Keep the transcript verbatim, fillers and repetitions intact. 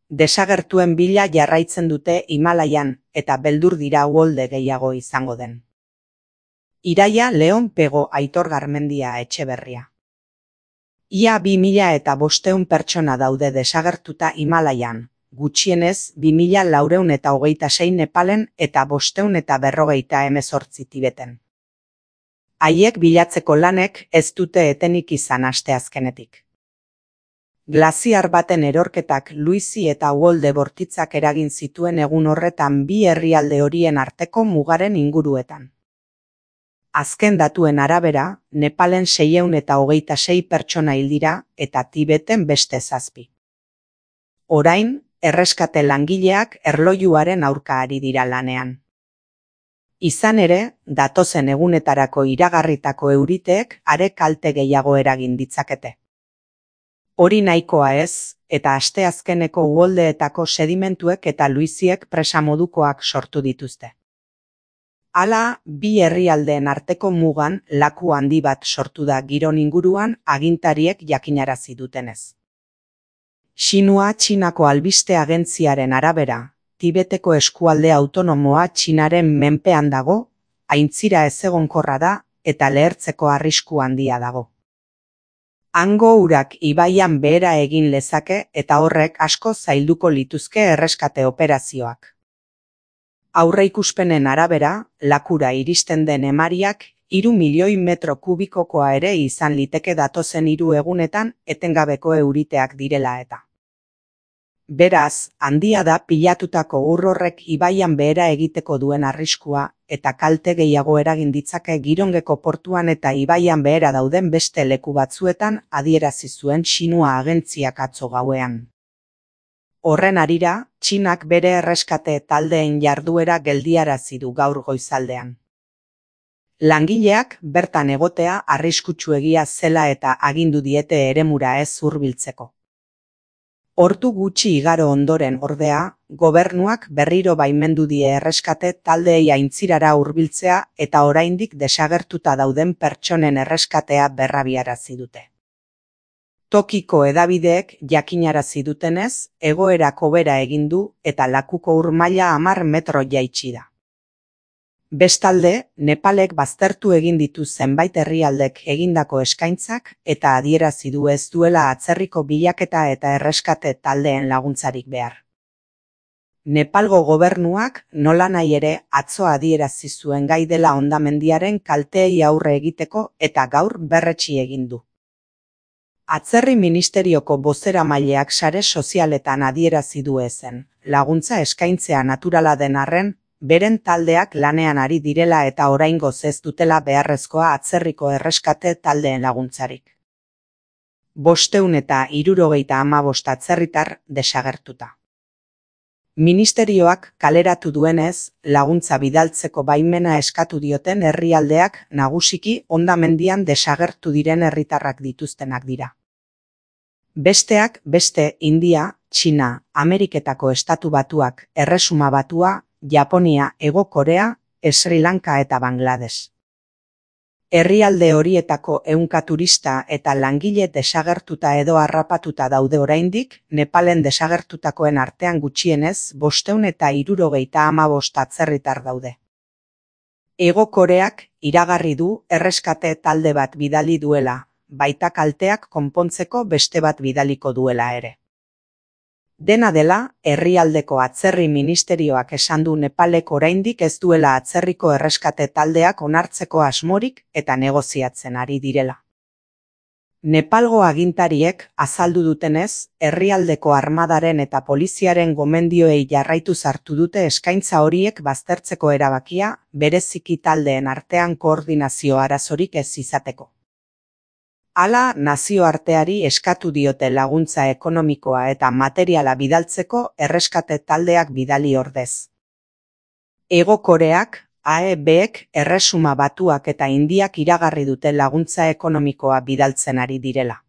Desagertuen bila jarraitzen dute Himalaian eta beldur dira uholde gehiago izango den. Iraia Leon Pego Aitor Garmendia Etxeberria. Ia bi mila eta bosteun pertsona daude desagertuta Himalaian, gutxienez bi mila laurehun eta hogeita sei Nepalen eta bosteun eta berrogeita hemezortzi Tibeten. Haiek bilatzeko lanek ez dute etenik izan asteazkenetik. Glaziar baten erorketak luizi eta uholde bortitzak eragin zituen egun horretan bi herrialde horien arteko mugaren inguruetan. Azken datuen arabera, Nepalen seiehun eta hogeita sei pertsona hil dira eta Tibeten beste zazpi. Orain, erreskate langileak erlojuaren aurka ari dira lanean. Izan ere, datozen egunetarako iragarritako euriteek are kalte gehiago eragin ditzakete. Hori nahikoa ez, eta asteazkeneko uholdeetako sedimentuek eta luiziek presamodukoak sortu dituzte. Hala, bi herrialdeen arteko mugan laku handi bat sortu da giron inguruan agintariek jakinarazi dutenez. Xinhua Txinako albiste agentziaren arabera, Tibeteko eskualde autonomoa Txinaren menpean dago, aintzira ezegonkorra da eta lehertzeko arrisku handia dago. Hango urak ibaian behera egin lezake eta horrek asko zailduko lituzke erreskate operazioak. Aurreikuspenen arabera, lakura iristen den emariak hiru milioi metro kubikokoa ere izan liteke datozen hiru egunetan etengabeko euriteak direla eta. Beraz, handia da pilatutako ur horrek ibaian behera egiteko duen arriskua eta kalte gehiago eragin ditzake Girongeko portuan eta ibaian behera dauden beste leku batzuetan adierazi zuen Xinhua agentziak atzo gauean. Horren harira, Txinak bere erreskate taldeen jarduera geldiarazi du gaur goizaldean. Langileak bertan egotea arriskutsuegia zela eta agindu diete eremura ez hurbiltzeko. Ordu gutxi igaro ondoren ordea, gobernuak berriro baimendu die erreskate taldeei aintzirara hurbiltzea eta oraindik desagertuta dauden pertsonen erreskatea berrabiarazi dute. Tokiko hedabideek jakinarazi dutenez, egoerak hobera egin du eta lakuko ur maila hamar metro jaitsi da. Bestalde, Nepalek baztertu egin ditu zenbait herrialdek egindako eskaintzak eta adierazi du ez duela atzerriko bilaketa eta erreskate taldeen laguntzarik behar. Nepalgo gobernuak nolanahi ere atzo adierazi zuen gai dela hondamendiaren kalteei aurre egiteko eta gaur berretsi egin du. Atzerri ministerioko bozeramaileak sare sozialetan adierazi du ezen, laguntza eskaintzea naturala den arren, beren taldeak lanean ari direla eta oraingoz ez dutela beharrezkoa atzerriko erreskate taldeen laguntzarik. Bosteun eta hirurogeita hamabost atzerritar desagertuta. Ministerioak kaleratu duenez, laguntza bidaltzeko baimena eskatu dioten herrialdeak nagusiki hondamendian desagertu diren herritarrak dituztenak dira. Besteak beste India, Txina, Ameriketako Estatu Batuak, Erresuma Batua, Japonia, Hego Korea, Sri Lanka eta Bangladesh. Herrialde horietako ehunka turista eta langile desagertuta edo harrapatuta daude oraindik, Nepalen desagertutakoen artean gutxienez bosteun eta hirurogeita hamabost atzerritar daude. Hego Koreak iragarri du erreskate talde bat bidali duela, baita kalteak konpontzeko beste bat bidaliko duela ere. Dena dela, herrialdeko atzerri ministerioak esan du Nepalek oraindik ez duela atzerriko erreskate taldeak onartzeko asmorik eta negoziatzen ari direla. Nepalgo agintariek azaldu dutenez, herrialdeko armadaren eta poliziaren gomendioei jarraituz hartu dute eskaintza horiek baztertzeko erabakia, bereziki taldeen artean koordinazio arazorik ez izateko. Hala, nazioarteari eskatu diote laguntza ekonomikoa eta materiala bidaltzeko erreskate taldeak bidali ordez. Hego Koreak, A E Bek, Erresuma Batuak eta Indiak iragarri dute laguntza ekonomikoa bidaltzen ari direla.